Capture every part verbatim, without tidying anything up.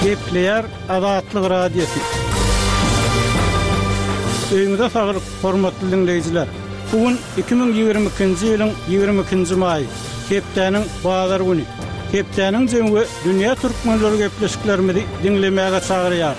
Gepleýär Azatlyk Radiosy. Öýüňize saglyk, hormatly diňleýjiler! Bu gün iki müň ýigrimi ikinji ýylyň ýigrimi ikinji maýy, hepdäniň bazar güni. Hepdäniň jemi we dünýä türkmenleri gepleşiklerimizi diňlemäge çagyrýar.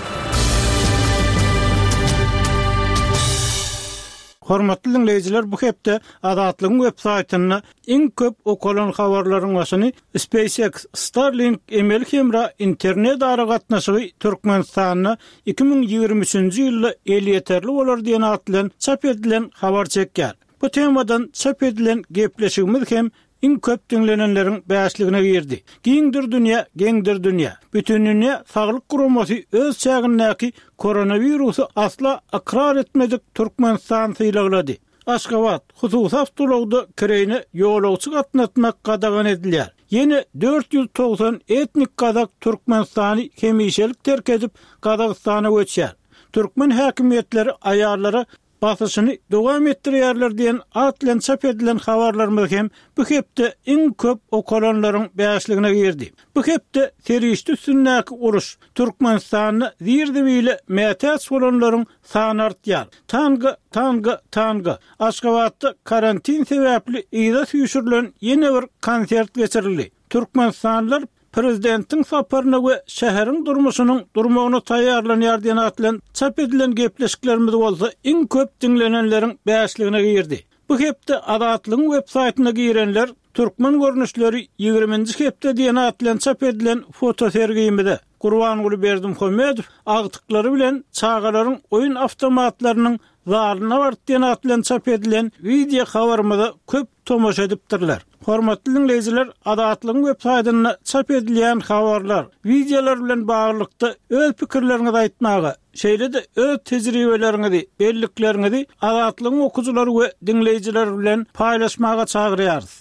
Hormatly diňleýjiler, bu hepde Azatlygyň web saýtynda iň köp okalan habarlaryň başyny SpaceX Starlink emeli hemra internet aragatnaşygy Türkmenistanda iki müň ýigrimi üçünji ýylda elýeterli bolar diýen at bilen çap edilen habar çekýär. Bu temadan çap edilen gepleşigimiz hem iň köp diňlenenleriň bäşligine girdi. Giňdir dünýä, geňdir dünýä. Bütindünýä Saglyk Guramasy öz çägindäki koronawirusy asla ykrar etmedik Türkmenistany sylaglady. Aşgabat, hususy awtoulagda kireýine ýolagçy gatnatmak gadagan edilýär. Ýene dört ýüz togsan etnik gazak Türkmenistany hemişelik terk edip, Gazagystana göçýär. Türkmen häkimiýetleri aýallara basyşyny dowam etdirýärler diýen at bilen çap edilen habarlarymyz hem bu hepde iň köp okalanlaryň bäşligine girdi. Bu hepde serişde üstündäki uruş, Türkmenistanda zir-zibile mätäç bolanlaryň sany artýar. Tanga, tanga, tanga. Aşgabatda karantin sebäpli yza süýşürilen ýene bir konsert geçirildi. Türkmenistanlylar prezidentiň saparyna we şäheriň durmuşynyň durmagyna taýýarlanýar diýen at bilen çap edilen gepleşiklerimiz bolsa iň köp diňlenenleriň bäşligine girdi. Bu hepde Azatlygyň web saýtyna girenler Türkmen görnüşleri ýigriminji hepde diýen at bilen çap edilen fotosergimize, Gurbanguly Berdimuhamedow agtyklary bilen çagalaryň oýun awtomatlarynyň zalyna bardy diýen at bilen çap edilen wideo habarymyza köp tomaşa edipdirler. Hormatly diňleýjiler, Azatlygyň web saýtynda çap edilýän habarlar, wideolar bilen baglylykda öz pikirleriňizi aýtmaga, şeýle-de öz tejribeleriňizi, bellikleriňizi Azatlygyň okyjylary we diňleýjileri bilen paýlaşmaga çagyrýarys.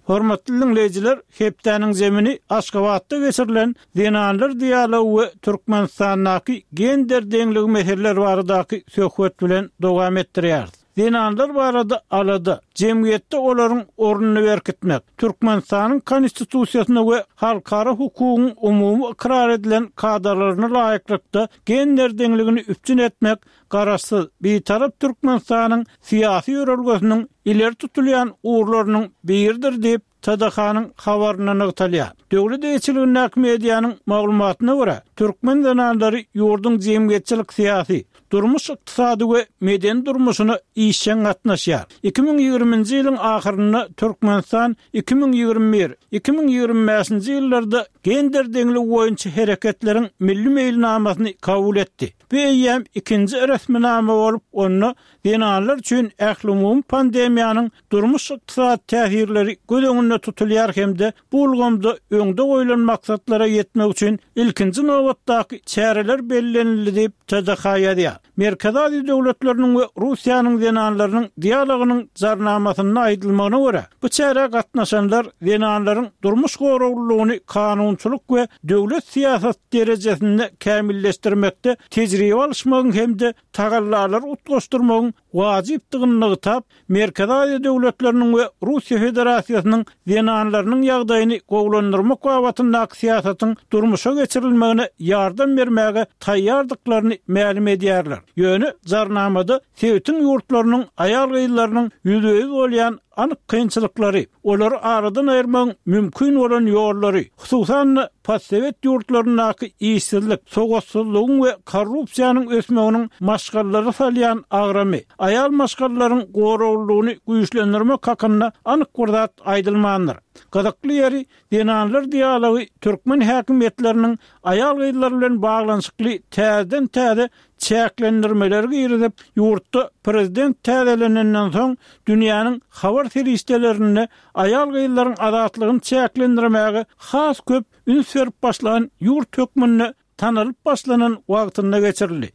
Hormatly diňleýjiler, hepdäniň zemini Aşgabatda geçirilen Zenanlar dialogy we Türkmenistandaky gender deňligi meseleleri baradaky söhbet bilen dowam etdirýäris. Zenanlar barada alada, jemgyýetde olaryň ornuny berkitmek, Türkmenistanyň Konstitusiýasyna we halkara hukugyň umumy ykrar edilen kadalaryna laýyklykda gender deňligini üpjün etmek Garaşsyz, Bitarap Türkmenistanyň syýasy ýörelgesiniň ileri tutulýan ugurlarynyň biridir diýip, T D H-nyň habarynda nygtalýar. Döwlet eýeçiligindäki medianyň maglumatyna görä, türkmen zenanlary ýurduň jemgyýetçilik-syýasy, durmuş-ykdysady we medeni durmuşyna işjeň gatnaşýar. Iki müň ýigriminji ýylyň ahyrynda Türkmenistan iki müň ýigrimi bir, iki müň ýigrimi bäşinji ýyllarda gender deňligi boýunça hereketleriň milli meýilnamasyny kabul etdi. Bu eýýäm ikinji resminama bolup, onda zenanlar üçin ählumumy pandemiýanyň durmuş-ykdysady täsirleri göz öňünde tutulýar hem-de bu ulgamda öňde goýlan maksatlara ýetmek üçin ilkinji nobatdaky çäreler bellenildi diýip, T D H ýazýar. Merkezi Aziýa döwletleriniň we Russiýanyň zenanlarynyň dialogynyň jarnamasynda aýdylmagyna görä, bu çärä gatnaşanlar zenanlaryň durmuş goraglylygyny kanunçylyk we döwlet syýasat derejesinde kämilleşdirmekde tejribe alyşmagyň hem-de tagallalary utgaşdyrmagyň wajypdygyny nygtap, Merkezi Aziýa döwletleriniň we Russiýa Federasiýasynyň zenanlarynyň ýagdaýyny gowulandyrmak babatyndaky syýasatyň durmuşa geçirilmegine ýardam bermäge taýýardyklaryny mälim edýärler. Ýöne jarnamada sebitiň ýurtlarynyň aýal-gyzlarynyň ýüzbe-ýüz bolýan anyk kynçylyklary, olary aradan aýyrmagyň mümkin bolan ýollary, hususan-da postsowet ýurtlaryndaky işsizlik, sowatsyzlygyň we korrupsiýanyň ösmeginiň maşgalalara salýan agramy, aýal maşgalalaryň goraglylygyny güýçlendirmek hakynda anyk bir zat aýdylmandyr. Gyzykly ýeri, zenanlar dialogy türkmen häkimiýetleriniň aýal-gyzlar bilen baglanyşykly täzeden-täze çäklendirmeleri girizip, ýurtda prezident täzelenenden soň dünýäniň habar serişdelerinde aýal-gyzlaryň azatlygyny çäklendirmäge has köp üns berip başlan ýurt hökmünde tanalyp başlanan wagtynda geçirildi.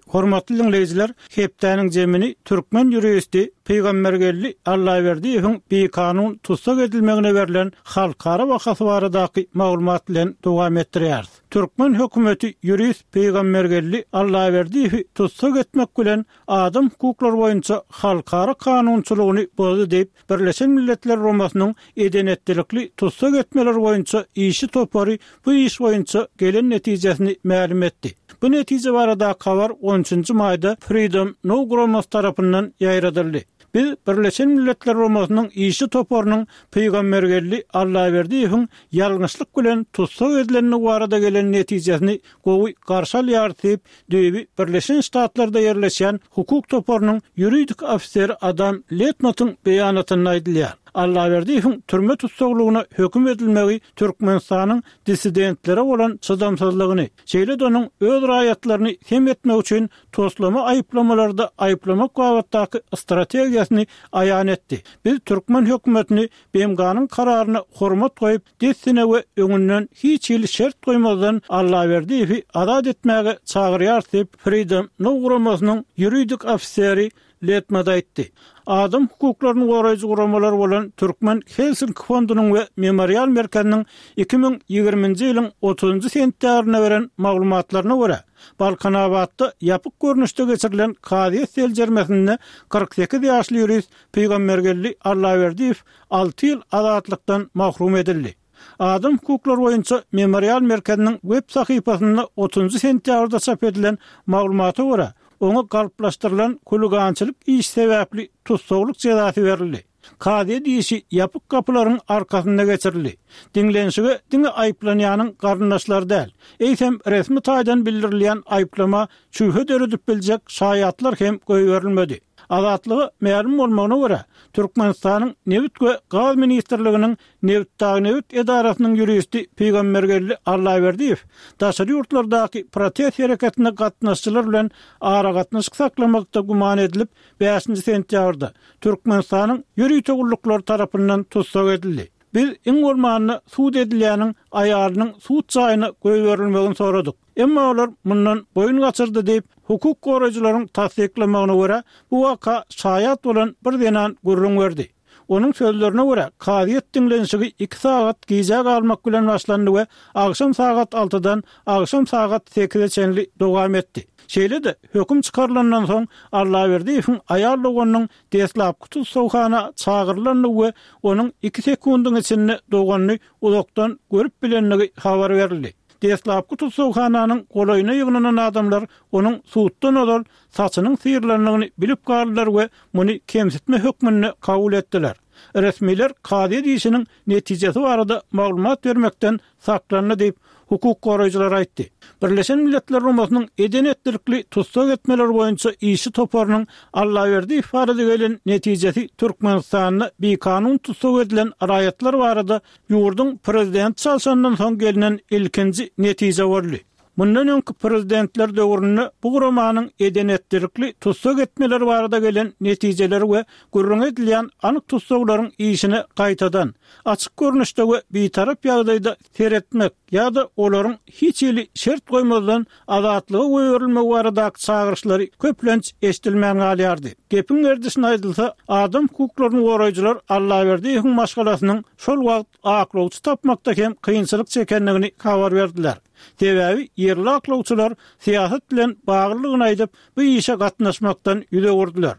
Hormatly diňleýjiler, hepdäniň jemini türkmen ýuristi, Pygambergeldi Allaberdiýewiň bikanun tussag edilmegine berlen halkara bahasy baradaky maglumat bilen dowam etdirýäris. Türkmen hökümeti ýurist Pygambergeldi Allaberdiýewi tussag etmek bilen adam hukuklary boýunça halkara kanunçylygyny bozdy diýip, Birleşen Milletler Guramasynyň eden-etdilikli tussag etmeler boýunça işçi topary bu iş boýunça gelen netijesini mälim etdi. Bu netije baradaky habar on üçünji maýda Freedom Now guramasy tarapyndan ýaýradyldy. Biz Birleşen Milletler Guramasynyň işçi toparynyň Pygambergeldi Allaberdiýewiň ýalňyşlyk bilen tussag edilendigi barada gelen netijesini gowy garşy alýarys diýip, düýbi Birleşen Ştatlarda ýerleşýän hukuk toparynyň ýuridik ofiseri Adam Letmatyň beýanatynda aýdylýar. Allaberdiýewiň türme tussaglygyna höküm edilmegi Türkmenistanyň dissidentlere bolan çydamsyzlygyny, şeýle-de onuň öz raýatlaryny sem etmek üçin toslama aýyplamalarda aýyplamak babatdaky strategiýasyny aýan etdi. Biz türkmen hökümetini B M G-nyň kararyna hormat goýup, dessine we öňünden hiç hili şert goýmazdan Allaberdiýewi azat etmäge çagyrýarys diýip, Freedom Now guramasynyň ýuridik ofiseri Letmat aýtdy. Adam hukuklaryny goraýjy guramalar bolan Türkmen Helsinki fondunyň we Memorial merkeziniň iki müň ýigriminji ýylyň otuzynjy sentýabrynda beren maglumatlaryna görä, Balkanabatda ýapyk görnüşde geçirilen kazyýet seljermesinde kyrk sekiz ýaşly ýurist Pygambergeldi Allaberdiýew alty ýyl azatlykdan mahrum edildi. Adam hukuklary boýunça Memorial merkeziniň web sahypasynda otuzynjy sentýabrda çap edilen maglumata görä, oňa galplaşdyrylan huligançylyk işi sebäpli tussaglyk jezasy berildi. Kazyýet işi ýapyk gapylaryň arkasynda geçirildi. Diňlenişige diňe aýyplanýanyň garyndaşlary däl, eýsem resmi taýdan bildirilýän aýyplama şübhe döredip biljek şaýatlar hem goýberilmedi. Azatlyga mälim bolmagyna görä, Türkmenistanyň Nebit we gaz ministrliginiň Nebitdagnebit edarasynyň ýuristi Pygambergeldi Allaberdiýew daşary ýurtlardaky protest hereketine gatnaşyjylar bilen aragatnaşyk saklamakda güman edilip, bäşinji sentýabrda Türkmenistanyň ýörite gulluklary tarapyndan tussag edildi. Biz iň bolmanda sud edilýäniň aýalynyň sud jaýyna goýberilmegini soradyk. Emma olar mundan boýun gaçyrdy diýip, hukuk goraýjylaryň tassyklamagyna görä, bu waka şaýat bolan bir zenan gürrüň berdi. Onuň sözlerine görä, kazyýet diňlenişigi iki sagat gijä galmak bilen başlandy we agşam sagat altydan agşam sagat sekize çenli dowam etdi. Şeýle-de, höküm çykarylandan soň Allaberdiýewiň aýal doganynyň deslapky tussaghana çagyrylandygy we onuň iki sekundyň içinde doganyny uzakdan görüp bilendigi habar berildi. Deslapky tussaghananyň golaýyna ýygnanan adamlar onuň suddan ozal saçynyň syrylandygyny bilip galdylar we muny kemsitme hökmünde kabul etdiler. Resmiler kazyýet işiniň netijesi barada maglumat bermekden saklandy diýip, hukuk goraýjylar aýtdy. Birleşen Milletler Guramasynyň eden-etdilikli tussag etmeler boýunça işçi toparynyň Allaberdiýew barada gelen netijesi Türkmenistanda bikanun tussag edilen raýatlar barada ýurduň prezidenti çalşandan soň gelnen ilkinji netije boldy. Mundan öňki prezidentler döwründe bu guramanyň eden-etdilikli tussag etmeleri barada gelen netijeleri we gürrüň edilýän anyk tussaglaryň işine gaýtadan, açyk görnüşde we bitarap ýagdaýda seretmek ýa-da olaryň hiç hili şert goýmazdan azatlyga goýberilmegi baradaky çagyryşlary köplenç eşidilmän galýardy. Gepiň gerdişine aýdylsa, adam hukuklaryny goraýjylar Allaberdiýewiň maşgalasynyň şol wagt aklawçy tapmakda hem kynçylyk çekendigini habar berdiler. Sebäbi ýerli aklawçylar syýasat bilen baglydygyny aýdyp, bu işe gatnaşmakdan ýüz öwürdiler.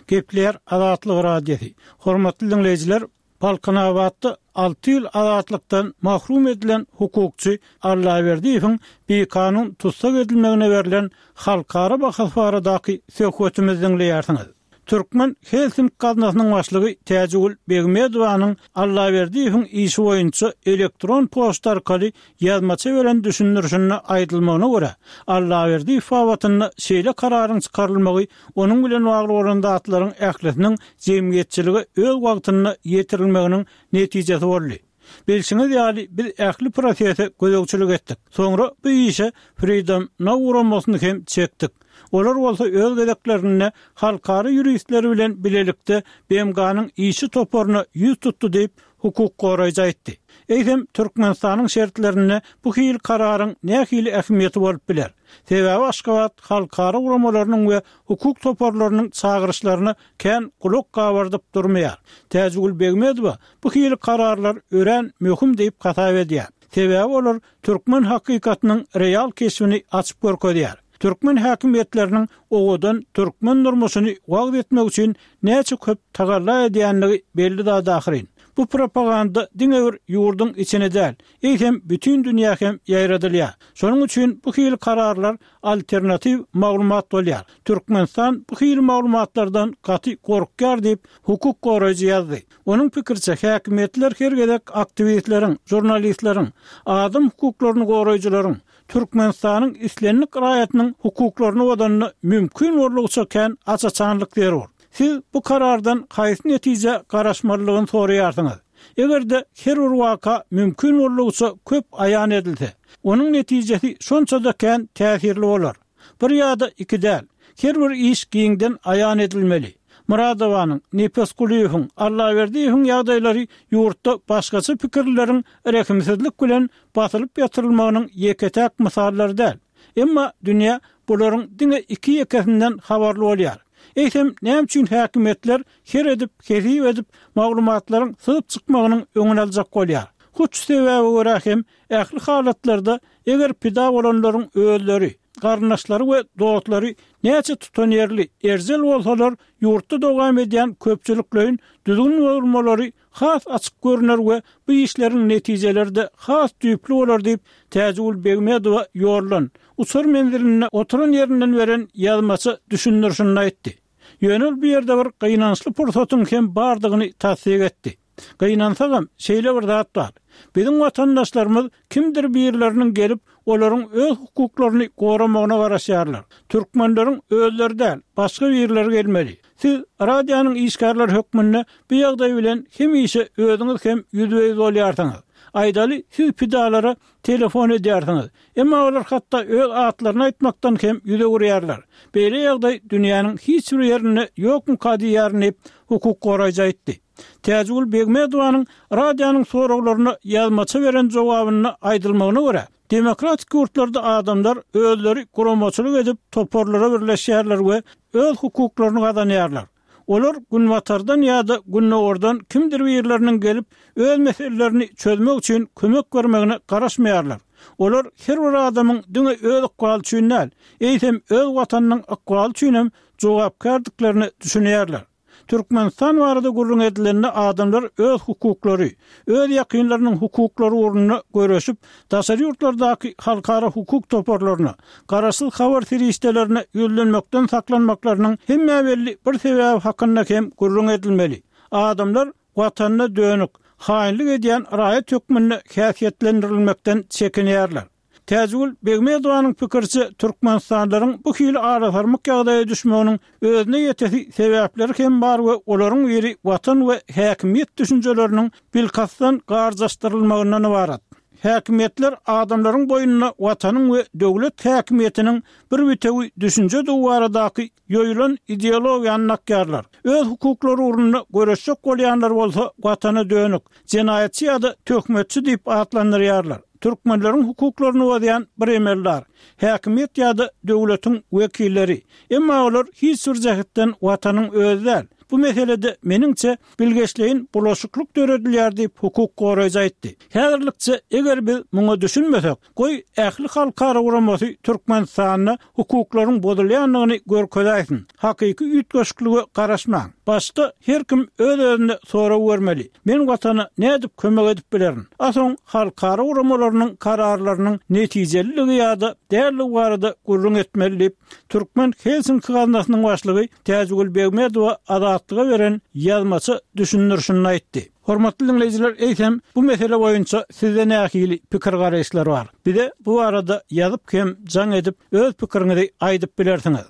Gepleýär Azatlyk Radiosy. Hormatly diňleýjiler, Balkanabatda alty ýyl azatlykdan mahrum edilen hukukçy Allaberdiýewiň bikanun tussag edilmegine berlen halkara bahasy baradaky söhbetimizi diňleýärsiňiz. Türkmen Helsinki gaznasynyň başlygy Täjigül Begmedowanyň Allaberdiýewiň işi boýunça elektron poçta arkaly ýazmaça beren düşündirişinde aýdylmagyna görä, Allaberdiýew babatynda şeýle kararyň çykarylmagy onuň bilen bagly bolan zatlaryň ählisiniň jemgyýetçilige öz wagtynda ýetirilmeginiň netijesi boldy. Bilşiňiz ýaly, biz ähli prosese gözegçilik etdik. Soňra bu işe Freedom Now guramasyny hem çekdik. Olar bolsa öz gezeklerinde halkara ýuristleri bilen bilelikde B M G-nyň işçi toparyna ýüz tutdy diýip, hukuk goraýjy aýtdy. Eýsem, Türkmenistanyň şertlerinde bu hili kararyň nähili ähmiýeti bolup biler? Sebäbi Aşgabat halkara guramalarynyň we hukuk toparlarynyň çagyryşlaryna kän gulak gabardyp durmaýar. Täjigül Begmedowa bu hili kararlar örän möhüm diýip hasap edýär. Sebäbi olar türkmen hakykatynyň real keşbini açyp görkezýär. Türkmen häkimiýetleriniň owadan türkmen durmuşyny wagyz etmek üçin näçe köp tagalla edýänligi belli zat ahyryn. Bu propaganda diňe bir ýurduň içine däl, eýsem bütin dünýä hem ýaýradylýar. Şonuň üçin bu hili kararlar alternatiw maglumat bolýar. Türkmenistan bu hili maglumatlardan gaty gorkýar diýip, hukuk goraýjy ýazdy. Onuň pikiriçe, häkimiýetler her gezek aktiwistleriň, žurnalistleriň, adam hukuklaryny goraýjylaryň, Türkmenistanyň islendik raýatynyň hukuklaryny bozanda mümkin boldugyça kän aç-açanlyk zerur. Siz bu karardan haýsy netijä garaşmalydygyny soraýarsyňyz. Eger-de her bir waka mümkin boldugyça köp aýan edilse, onuň netijesi şonça-da kän täsirli bolar. Bir ýa-da iki däl, her bir iş giňden aýan edilmeli. Muradowanyň, Nepesgulyýewiň, Allaberdiýewiň ýagdaýlary ýurtda başgaça pikirlileriň rehimsizlik bilen basylyp ýatyrylmagynyň ýeke-täk mysallary däl. Emma dünýä bularyň diňe iki ýekesinden habarly bolýar. Eýsem, näme üçin häkimiýetler her edip, hesip edip, maglumatlaryň syzyp çykmagynyň öňüni aljak bolýar? Hut şu sebäbe görä hem ähli halatlarda eger pida bolanlaryň özleri, garyndaşlary we dostlary näçe tutanýerli, erjel bolsalar, ýurtda dowam edýän köpçülikleýin düzgün bozulmalary has açyk görner we bu işleriň netijeleri-de has düýpli bolar diýip, Täjigül Begmedowa ýoldan, uçar menzilinde oturan ýerinden beren ýazmaça düşündirişinde aýtdy. Ýöne ol bu ýerde bir gynançly pursatyň hem bardygyny tassyk etdi. Gynansagam, şeýle bir zat bar. Biziň watandaşlarymyz kimdir birleriniň gelip, olaryň öz hukuklaryny goramagyna garaşýarlar. Türkmenleriň özleri däl, başga birleri gelmeli. Siz radionyň işgärleri hökmünde bu ýagdaý bilen hemişe özüňiz hem ýüzbe-ýüz bolýarsyňyz. Aýdaly, siz pidalara telefon edýärsiňiz. Emma olar hatda öz atlaryny aýtmakdan hem ýüz öwürýärler. Beýle ýagdaý dünýäniň hiç bir ýerinde ýokmuka diýýärin diýip, hukuk goraýjy aýtdy. Täjigül Begmedowanyň radionyň soraglaryna ýazmaça beren jogabynda aýdylmagyna görä, demokratik ýurtlarda adamlar özleri guramaçylyk edip toparlara birleşýärler we öz hukuklaryny gazanýarlar. Olar günbatardan ýa-da gündogardan kimdir birleriniň gelip öz meselelerini çözmek üçin kömek bermegine garaşmaýarlar. Olar her bir adamyň diňe öz ykbaly üçin däl, eýsem öz watanynyň ykbaly üçin hem jogapkärdiklerine düşünýärler. Türkmenistan barada gürrüň edilende adamlar öz hukuklary, öz ýakynlarynyň hukuklary ugrunda göreşip, daşary ýurtlardaky halkara hukuk toparlaryna, garaşsyz habar serişdelerine ýüzlenmekden saklanmaklarynyň hemmä belli bir sebäbi hakynda hem gürrüň edilmeli. Adamlar watanyna dönük, haýynlyk edýän raýat hökmünde häsiýetlendirilmekden çekinýärler. Täjigül Begmedowanyň pikiriçe, türkmenistanlylaryň bu hili arasarmyk ýagdaýa düşmeginiň özüne ýetesi sebäpleri hem bar we olaryň biri watan we häkimiýet düşünjeleriniň bilkastdan garjaşdyrylmagyndan ybarat. Häkimiýetler adamlaryň boýnuna watanyň we döwlet häkimiýetiniň bir bitewi düşünjedigi baradaky ýoýulan ideologiýany dakýarlar. Öz hukuklary ugrunda göreşjek bolýanlar bolsa watana dönük, jenaýatçy ýa-da töhmetçi diýip atlandyrýarlar. Türkmenleriň hukuklaryny bozýan bir emeldar, häkimiýet ýa-da döwletiň wekilleri. Emma olar hiç bir jähetden watanyň özi däl. Bu meselede meniňçe bilgeşleýin bulaşyklyk döredilýär diýip, hukuk goraýjy aýtdy. Häzirlikçe eger biz muňa düşünmesek, goý ähli halkara guramasy Türkmenistanda hukuklaryň bozulýandygyny görkezäýsin. Hakyky üýtgeşiklige garaşmaň. Başda her kim öz-özüne sorag bermeli. Men watana nädip kömek edip bilerin? A soň halkara guramalarynyň kararlarynyň netijeliligi ýa-da dälligi barada gürrüň etmeli diýip, Türkmen Helsinki gaznasynyň başlygy Täjigül Begmedowa Azatlyga beren ýazmaça düşündirişinde aýtdy. Hormatly diňleýjiler, eýsem bu mesele boýunça sizde nähili pikir-garaýyşlar bar? Bize bu barada ýazyp hem jaň edip öz pikiriňizi aýdyp bilersiňiz.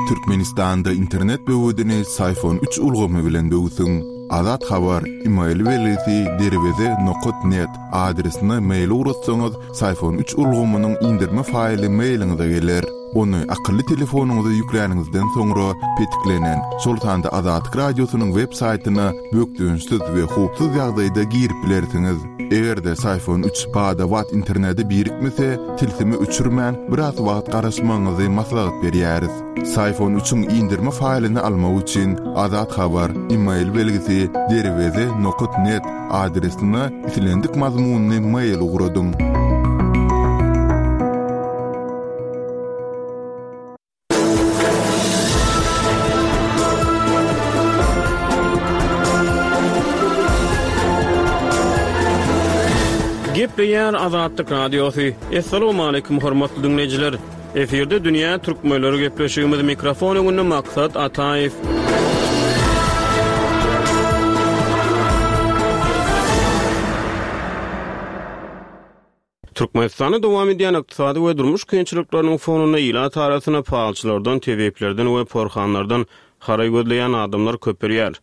Türkmenistanda internet böwedini Syfon üç ulgamy bilen böwsüň. Azat Habar email belgisi derweze nokat net adresine mail ugratsaňyz, Syfon üç ulgamynyň indirme faýly mailiňize geler. Ony akylly telefonyňyza ýükläniňizden soňra petiklenen, şol sanda Azatlyk Radiosynyň web saýtyna bökdençsiz we howpsuz ýagdaýda girip bilersiňiz. Eger-de Syfon üç bada-bat internete birikmese, tilsimi öçürmän biraz wagt garaşmagyňyzy maslahat berýäris. Syfon üçiň indirme faýlyny almak üçin Azat Habar email belgisi derweze nokat net adresine islendik mazmunyny mail ugradyň. Gepleýär Azatlyk Radiosy. Essalamu aleýkum hormatly dinleýjiler. Efirde Dünýä Türkmenleri gepleşigimiz mikrofon öňünde Maksat Ataýew. Türkmenistanda dowam edýän ykdysady we durmuş kynçylyklarynyň fonunda ilat arasynda palçylardan, tebiplerden we porhanlardan haraý gözleýän adamlar köpelýär.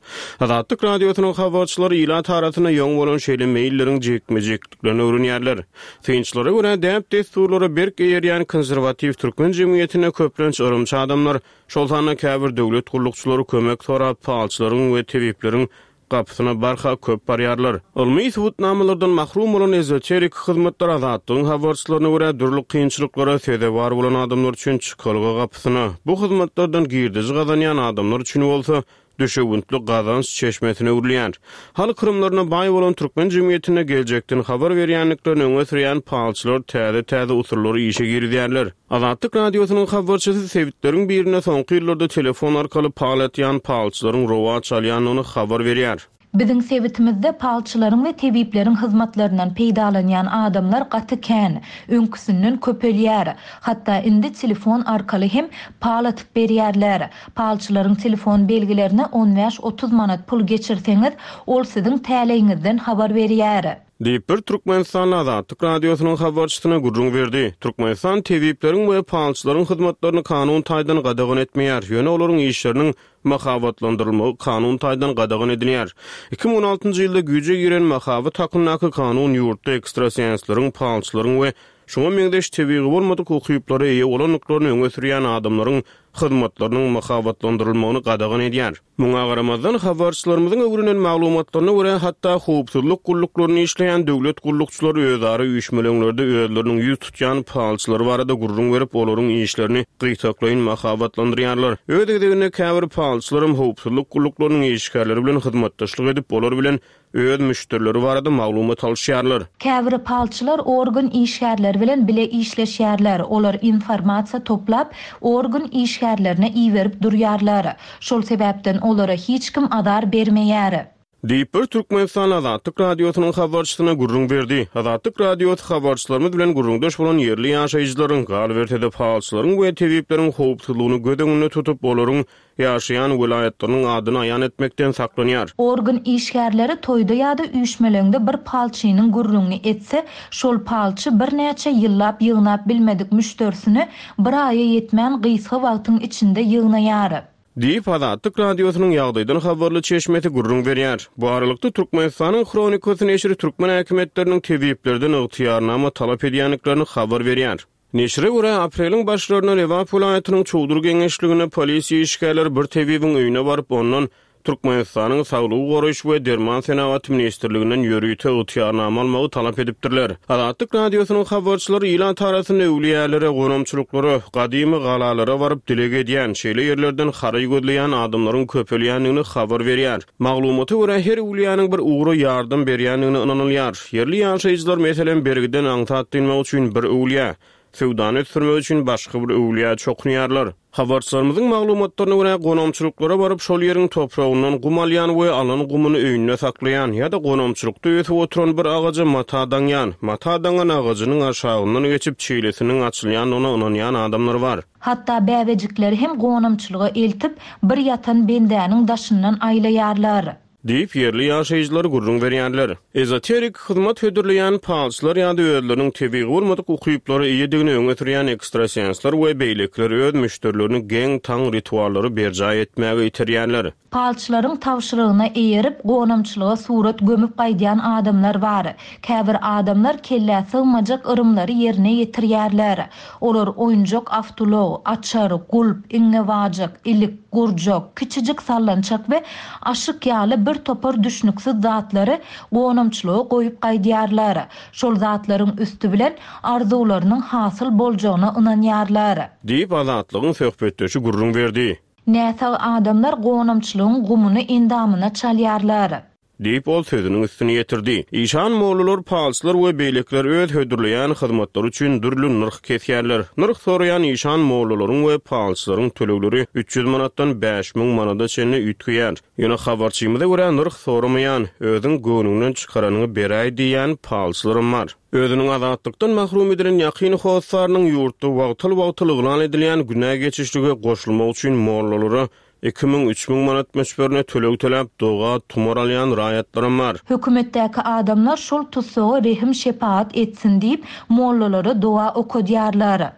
Azatlyk Radiosynyň habarçylary ilat arasynda ýoň bolan şeýle meýilleriň jikme-jikliklerini öwrenýärler. Synçylara görä däp-dessurlara berk eýerýän konserwatiw türkmen jemgyýetinde köplenç yrymçy adamlar, şol sanda käbir döwlet gullukçylary kömek sorap palçylaryň we tebipleriň gapysyna barha köp barýarlar. Ylmy subutnamalardan mahrum bolan ezoterik hyzmatlar Azatlygyň habarçylaryna görä dürli kynçylyklara sezewar bolan adamlar üçin çykalga gapysyna, bu hyzmatlardan girdeji gazanýan adamlar üçin bolsa düşewüntli gazanç çeşmesine öwrülýär. Halk yrymlaryna baý bolan türkmen jemgyýetinde geljekden habar berýändiklerini öňe sürýän palçylar täze-täze usullary işe girizýärler. Azatlyk Radiosynyň habarçysy sebitleriň birinde soňky ýyllarda telefon arkaly pal atýan palçylaryň rowaç alýandygyny habar berýär. Biziň sebitimizde palçylaryň we tebipleriň hyzmatlaryndan peýdalanýan adamlar gaty kän, öňküsinden köpelýär. Hatda indi telefon arkaly hem pal atyp berýärler. Palçylaryň telefon belgilerine on bäş otuz manat pul geçirseňiz, ol siziň täleýiňizden habar berýär. Diýip bir Türkmenistan Azatlyk Radiosynyň habarçysyna gürrüň berdi. Türkmenistan tebipleriň we palçylaryň hyzmatlaryny kanun taýdan gadagan etmeýär. Ýöne olaryň işleriniň mahabatlandyrylmagy kanun taýdan gadagan edilýär. iki müň on altynjy ýylda güýje giren mahabat hakyndaky kanun ýurtda ekstrasensleriň, palçylaryň we şoňa meňzeş tebigy bolmadyk ukyplara eýe bolandyklaryny öňe sürýän adamlaryň hyzmatlarynyň mahabatlandyrylmagyny gadagan edýär. Muňa garamazdan habarçylarymyzyň öwrenen maglumatlaryna görä hatda howpsuzlyk gulluklaryny işleýän döwlet gullukçylary özara üýşmeleňlerde özleriniň ýüz tutýan palçylary barada gürrüň berip, olaryň işlerini gytaklaýyn mahabatlandyrýarlar. Öz gezeginde käbir palçylaryň howpsuzlyk gulluklarynyň işgärleri bilen hyzmatdaşlyk edip, olar bilen öz müşderileri barada maglumat alyşýarlar. Käbir palçylar organ işgärleri bilen bile işleşýärler. Olar informasiýa toplap, organ işgärlerine iberip durýarlar. Şol sebäpden olara hiç kim azar bermeýär. Diýip bir Türkmenistan Azatlyk Radiosynyň habarçysyna gürrüň berdi. Azatlyk Radiosy habarçylarymyz bilen gürrüňdeş bolan ýerli ýaşaýjylaryň, galyberse-de palçylaryň we tebipleriň howpsuzlygyny göz öňünde tutup, olaryň ýaşaýan welaýatlarynyň adyny aýan etmekden saklanýar. Organ işgärleri toýda ýa-da üýşmeleňde bir palçynyň gürrüňini etse, şol palçy birnäçe ýyllap ýygnap bilmedik müşderisini bir aýa ýetmän gysga wagtyň içinde ýygnaýar. Diýip Azatlyk Radiosynyň ýagdaýdan habarly çeşmesi gürrüň berýär. Bu aralykda Türkmenistanyň Hronikasy neşiri türkmen häkimiýetleriniň tebiplerden ygtyýarnama talap edýändiklerini habar berýär. Neşire görä apreliň başlarynda Lebap welaýatynyň Çowdur geňeşliginde polisiýa işgärleri bir tebibiň öýüne baryp, ondan Türkmenistanyň Saglygy goraýyş we Derman senagaty ministrliginden ýörite ygtyýarnama almagy talap edipdirler. Azatlyk Radiosynyň habarçylary ilat arasynda öwlüýälere, gonamçylyklara, gadymy galalara baryp dileg edýän, şeýle ýerlerden haraý gözleýän adamlaryň köpelýändigini habar berýär. Maglumata görä her öwlüýäniň bir ugra ýardam berýändigine ynanylýar. Ýerli ýaşaýjylar meselem bergiden aňsat dynmak üçin bir öwlüýä, söwdany ösdürmek üçin başga bir öwlüýä çokunýarlar. Habarçylarymyzyň maglumatlaryna görä gonamçylyklara baryp şol ýeriň topragyndan gum alýan we alan gumuny öýünde saklaýan ýa-da gonamçylykda ösüp oturan bir agaja mata daňýan, mata daňan agajynyň aşagyndan geçip çeýlesiniň açylýandygyna ynanýan adamlar bar. Hatda bäbejikleri hem gonamçylyga eltip, bir ýatan bendäniň daşyndan aýlaýarlar. Diýip, ýerli ýaşaýjylar gürrüň berýärler. Ezoterik hyzmat hödürleýän palçylar ýa-da özleriniň tebigy bolmadyk ukyplara eýedigini öňe sürýän ekstrasensler we beýlekiler öz müşderilerini geň-taň rituallary berjaý etmäge iterýärler. Palçylaryň tabşyrygyna eýerip, gonamçylyga surat gömüp gaýdýan adamlar bar. Käbir adamlar kellä sygmajak yrymlary ýerine ýetirýärler. Olar oýunjak awtoulag, açar, gulp, iňňewajyk, ilik, gurjak, kiçijik sallançak we aşyk ýaly bir topar düşnüksiz zatlary gonamçylyga goýup gaýdýarlar. Şol zatlaryň üsti bilen arzuwlarynyň hasyl boljagyna ynanýarlar. Diýip, Azatlygyň söhbetdeşi gürrüň berdi. Näsag adamlar gonamçylygyň gumuny endamyna çalýarlar. Diýip, ol sözüniň üstüni ýetirdi. Işan mollalar, palçylar we beýlekiler öz hödürleýän hyzmatlary üçin dürli nyrh kesýärler. Nyrh soraýan işan mollalaryň we palçylaryň tölegleri üç ýüz manatdan bäş müň manada çenli üýtgeýär. Ýöne habarçymyza görä nyrh soramaýan, özüň göwnüňden çykaranyňy beräý diýýän palçylaram bar. Özüniň azatlykdan mahrum edilen ýakyn hossarynyň ýurtda wagtal-wagtal yglan edilýän günä geçişlige goşulmak üçin mollalara iki müň, üç müň manat möçberine töleg töläp, doga, tumar alýan raýatlaram bar. Hökümetdäki adamlar şol tussaga rehim-şepagat etsin diýip, mollalara doga okadýarlar.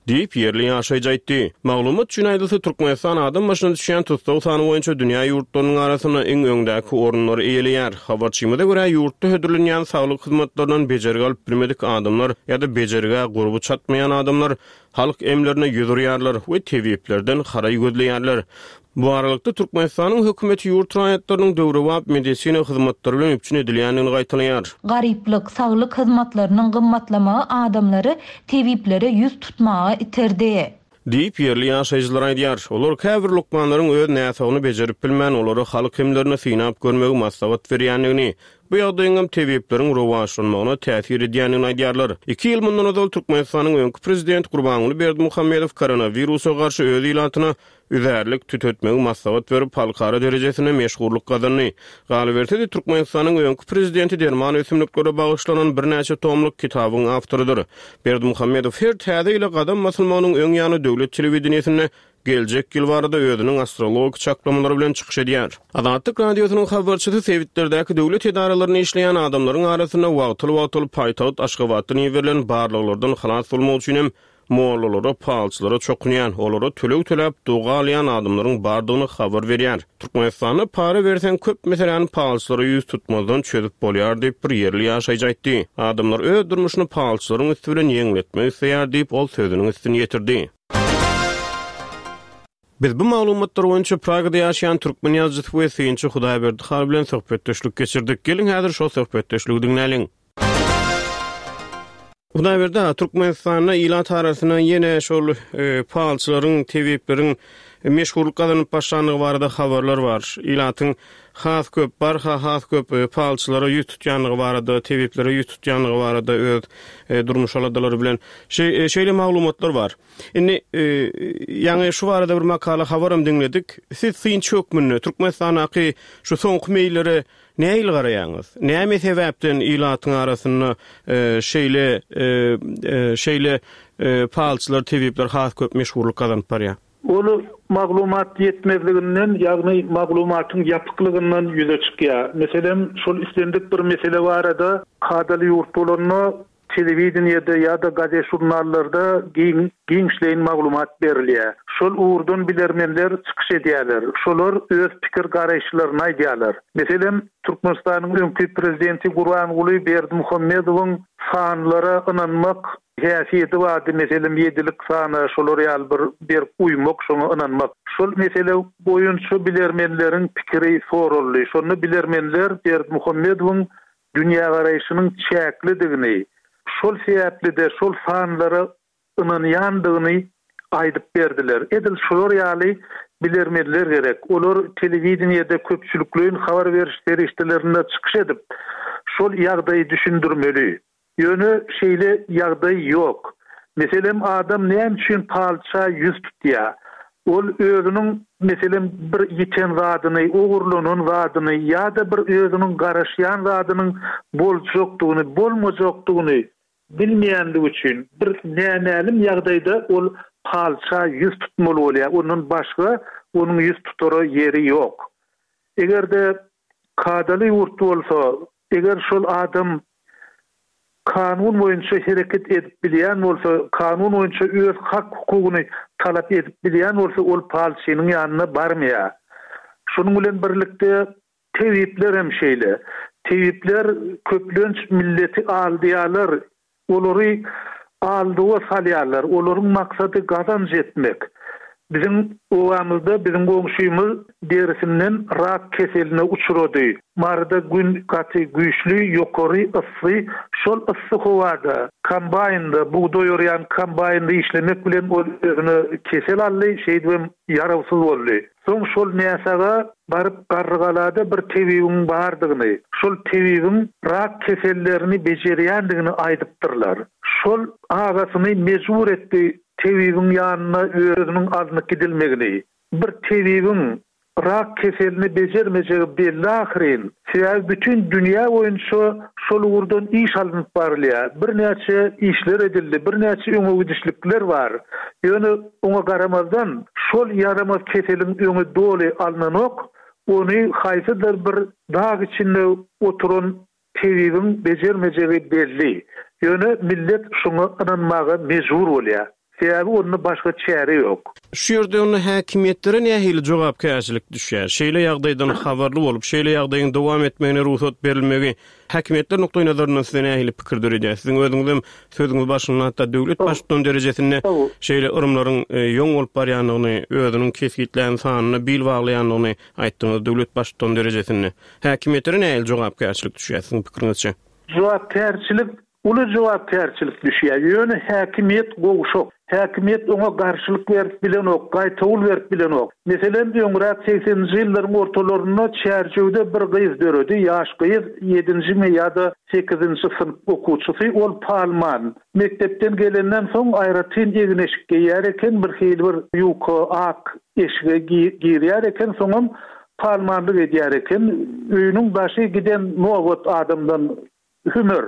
Diýip, ýerli ýaşaýjy aýtdy. Maglumat üçin aýdylsa, Türkmenistan adam başyna düşýän tussag sany boýunça dünýä ýurtlarynyň arasynda iň öňdäki orunlary eýeleýär. Habarçymyza görä, ýurtda hödürlenýän saglyk hyzmatlaryndan bejergi alyp bilmedik adamlar ýa-da bejergä gurby çatmaýan adamlar halk emlerine ýüz urýarlar we tebiplerden haraý gözleýärler. Bu aralykda Türkmenistanyň hökümeti ýurt raýatlarynyň döwrebap medisina hyzmatlary bilen üpjün edilýändigini gaýtalaýar. Garyplyk, saglyk hyzmatlarynyň gymmatlamagy adamlary tebiplere ýüz tutmaga iterdi. Diýip, ýerli ýaşaýjylar aýdýar. Olar käbir lukmanlaryň öz näsagyny bejerip bilmän, olara halk emlerini synap görmegi maslahat berýändigini, bu ýagdaýyň hem tebipleriň rowaçlanmagyna täsir edýändigini aýdýarlar. Iki ýyl mundan ozal Türkmenistanyň öňki prezidenti Gurbanguly Berdimuhamedow koronawirusa garşy öz ilatyna üzärlik tütetmegi maslahat berip, halkara derejesinde meşhurlyk gazandy. Galyberse-de, Türkmenistanyň öňki prezidenti derman ösümliklere bagyşlanan birnäçe tomluk kitabyň awtorydyr. Berdimuhamedow her täze ýyla gadam basylmagynyň öň ýany döwlet telewideniýesinde geljek ýyl barada özüniň astrologik çaklamalary bilen çykyş edýär. Azatlyk Radiosynyň habarçysy sebitlerdäki döwlet edaralarynda işleýän adamlaryň arasynda wagtal-wagtal paýtagt Aşgabatdan iberilen barlaglardan halas bolmak üçin hem mollalara, palçylara çokunýan, olara töleg töläp doga alýan adamlaryň bardygyny habar berýär. Türkmenistanda para berseň köp meseläni palçylara ýüz tutmazdan çözüp bolýar diýip bir ýerli ýaşaýjy aýtdy. Adamlar öz durmuşyny palçylaryň üsti bilen ýeňletmek isleýär diýip ol sözüniň üstüni ýetirdi. Biz bu maglumatlar boýunça Pragada ýaşaýan türkmen ýazyjysy we synçy Hudaýberdi Hal bilen söhbetdeşlik geçirdik. Geliň häzir şol söhbetdeşligi diňläliň. Hudaýberdi aga, Türkmenistanda ilat arasynda ýene şol, e, palçylaryň, tebipleriň meşhurlyk gazanyp başlandygy barada habarlar bar. Ilatyň has köp, barha has köp, e, palçylara ýüz tutýandygy barada, tebiplere ýüz tutýandygy barada öz, e, durmuş aladalary bilen şe-, e, şeýle maglumatlar bar. Indi, e, ýaňy şu barada bir makala habaram diňledik. Siz synçy hökmünde Türkmenistandaky şu soňky meýillere nähili garaýaňyz? Näme sebäpden ilatyň arasynda, e, şeýle, e, e, şeýle, e, palçylar, tebipler has köp meşhurlyk gazanyp barýar? Ol maglumat ýetmezliginden, ýagny maglumatyň ýapyklygyndan ýüze çykýar. Meselem, şol islendik bir mesele barada kadaly ýurt bolanda telewideniýede ýa-da gazet jurnallarda giň, giňişleýin maglumat berilýär. Şol ugurdan bilermenler çykyş edýärler. Şolar öz pikir garaýyşlaryny aýdýarlar. Meselem, Türkmenistanyň öňki prezidenti Gurbanguly Berdimuhamedowyň sanlara ynanmak häsiýeti bardy. Meselem, ýedilik sana şolar ýaly bir berk uýmak, şoňa ynanmak. Şol mesele boýunça bilermenleriň pikiri soruldy. Şonda bilermenler Berdimuhamedowyň dünýä garaýşynyň çäklidigini, şol sebäpli-de şol sanlara ynanýandygyny aýdyp berdiler. Edil şolar ýaly bilermenler gerek. Olar telewideniýede köpçülikleýin habar beriş serişdelerinde çykyş edip, şol ýagdaýy düşündirmeli. Ýöne şeýle ýagdaý ýok. Meselem, adam näme üçin palça ýüz tutýar? Ol özüniň, meselem, bir ýiten zadyny, ogurlanan zadyny ýa-da bir özüniň garaşýan zadynyň boljakdygyny, bolmajakdygyny bilmeýändigi üçin bir nämälim ýagdaýda ol palça ýüz tutmaly bolýar. Ondan başga onuň ýüz tutara ýeri ýok. Eger-de Kadaly ýurt bolsa, eger şol adam kanun boýunça hereket edip bilýän bolsa, kanun boýunça öz hak-hukugyny talap edip bilýän bolsa, ol palçynyň ýanyna barmaýar. Şonuň bilen birlikde tebipler hem şeýle. Tebipler köplenç milleti aldaýarlar, Olary aldawa salýarlar. Olaryň maksady gazanç etmek. Biziň obamyzda biziň goňşymyz derisinden rak keseline uçrady. Maryda gün gaty güýçli, ýokary, yssy. Şol yssy howada kombaýnda, bugdaý orýan kombaýnda işlemek bilen ol özüne kesel aldy, şeýdibem ýarawsyz boldy. Soň şol näsaga baryp Garrygalada bir tebibiň bardygyny, şol tebibiň rak kesellerini bejerýändigini aýdypdyrlar. Şol agasyny mejbur etdi tebibiň ýanyna özüniň alnyp gidilmegini. Bir tebibiň rak keselini bejermejegi belli ahyryn. Sebäbi bütin dünýä boýunça şol ugurdan iş alnyp barylýar. Birnäçe işler edildi, birnäçe öňe gidişlikler bar. Ýöne oňa garamazdan, şol ýaramaz keseliň öňi doly alnanok, ony haýsydyr bir dag içinde oturan tebibiň bejermejegi belli. Ýöne millet şoňa ynanmaga mejbur bolýar. Sebäbi onda başga çäre ýok. Şu ýerde onda häkimiýetlere nähili jogapkärçilik düşýär? Şeýle ýagdaýdan habarly bolup, şeýle ýagdaýyň dowam etmegine rugsat berilmegi häkimiýetler nukdaýnazaryndan size nähili pikir döredýär? Siziň özüňizem sözüňiz başynda hatda döwlet baştutany derejesinde şeýle yrymlaryň ýoň bolup barýandygyny, özüniň kesgitlän sanyna bil baglaýandygyny aýtdyňyz, döwlet baştutany derejesinde. Häkimiýetlere nähili jogapkärçilik düşýär siziň pikiriňizçe? Jogapkärçilik Uly jogapkärçilik düşýär. Ýöne häkimiýet gowşak. Häkimiýet oňa garşylyk berip bilenok, gaýtawul berip bilenok. Meselem, öňräk segseninji ýyllaryň ortalarynda Çärjewde bir gyz döredi, ýaş gyz, ýedinjimi ýa-da sekizinji synp okuwçysy, ol palman. Mekdepden gelenden soň aýratyn egin-eşik geýýär eken, birhili bir ýuka ak eşige girýär eken, soňam palmanlyk edýär eken. Öýüniň daşy giden nobat adamdan Hümer,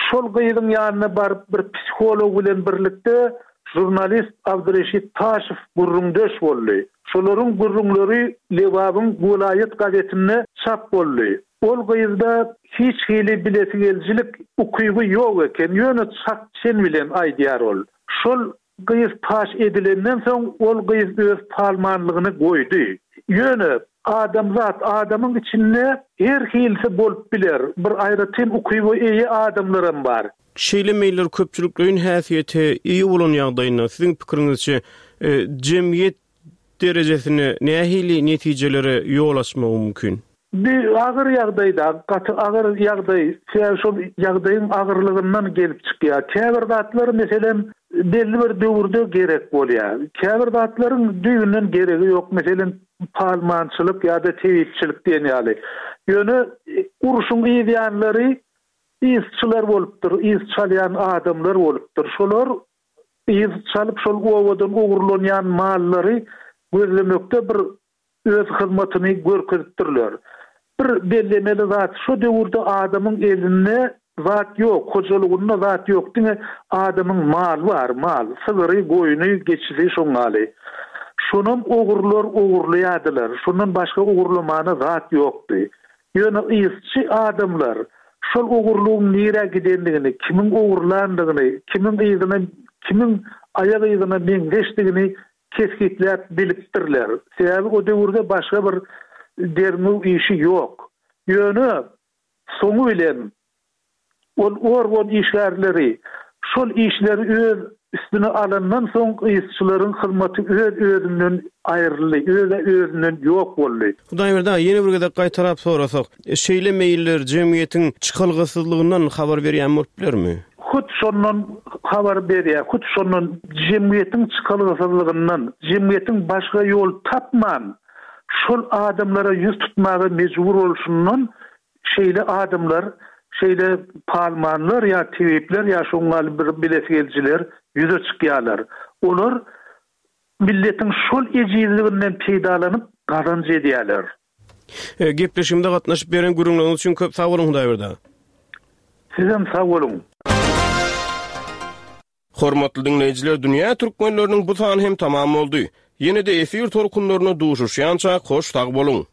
şol gyzyň ýanyna baryp bir psiholog bilen birlikde žurnalist Abdyreşit Taşow gürrüňdeş boldy. Şolaryň gürrüňleri Lebabyň welaýat gazetinde çap boldy. Ol gyzda hiç hili bilesigelijilik ukyby ýok eken, ýöne çak-çen bilen aýdýar ol. Şol Gyz paş edilenden soň ol gyz öz palmanlygyny goýdy. Ýöne adamzat, adamyň içinde her hilisi bolup biler, bir aýratyn ukyba eýe adamlaram bar. Şeýle meýiller köpçülikleýin häsiýete eýe bolan ýagdaýynda, siziň pikiriňizçe, jemgyýet derejesinde nähili netijelere ýol açmagy mümkin? Bu agyr ýagdaý-da, gaty agyr ýagdaý. Sebäbi şol ýagdaýyň agyrlygyndan gelip çykýar. Käbir zatlar, meselem, belli bir döwürde gerek bolýar. Käbir zatlaryň düýbünden geregi ýok, meselem, palmançylyk ýa-da tebipçilik diýen ýaly. Ýöne urşuň yz ýanlary yzçylar bolupdyr, yz çalýan adamlar bolupdyr. Şolar yz çalyp, şol obadan ogurlanýan mallary gözlemekde bir öz hyzmatyny görkezipdirler. Bir bellemeli zat, şo döwürde adamyň elinde zat ýok, hojalygynda zat ýok, diňe adamyň maly bar, mal, sygyry, goýny, geçisi şoň ýaly. Şonam ogrular ogurlaýardylar, şondan başga ogurlamana zat ýokdy. Ýöne yzçy adamlar şol ogurlygyň nirä gidendigini, kimiň ogurlandygyny, kimiň yzyna, kimiň aýak yzyna meňzeşdigini kesgitläp bilipdirler. Sebäbi o döwürde başga bir derňew işi ýok. Ýöne soňy bilen ol organ işgärleri şol işleri öz üstüne alandan soň yzçylaryň hyzmaty öz-özünden aýryldy, öz-özünden ýok boldy. Hudaýberdi aga, ýene bir gezek gaýtalap sorasak, şeýle meýiller jemgyýetiň çykalgasyzlygyndan habar berýän bolup bilermi? Hut şondan habar berýär, hut şondan jemgyýetiň çykalgasyzlygyndan, jemgyýetiň başga ýol tapman, şol adamlara ýüz tutmaga mejbur bolşundan şeýle adamlar, şeýle palmanlar ýa tebipler ýa şoň ýaly bir bilesigelijiler ýüze çykýarlar. Olar milletiň şol ejizliginden peýdalanyp gazanç edýärler. Gepleşigimize gatnaşyp beren gürrüňleriňiz üçin köp sag boluň Hudaýberdi aga. Sizem sag boluň. Hormatly diňleýjiler Dünýä Türkmenleriniň bu sany hem tamam boldy. Ýene-de efir tolkunlarynda duşuşýançak hoş sag boluň.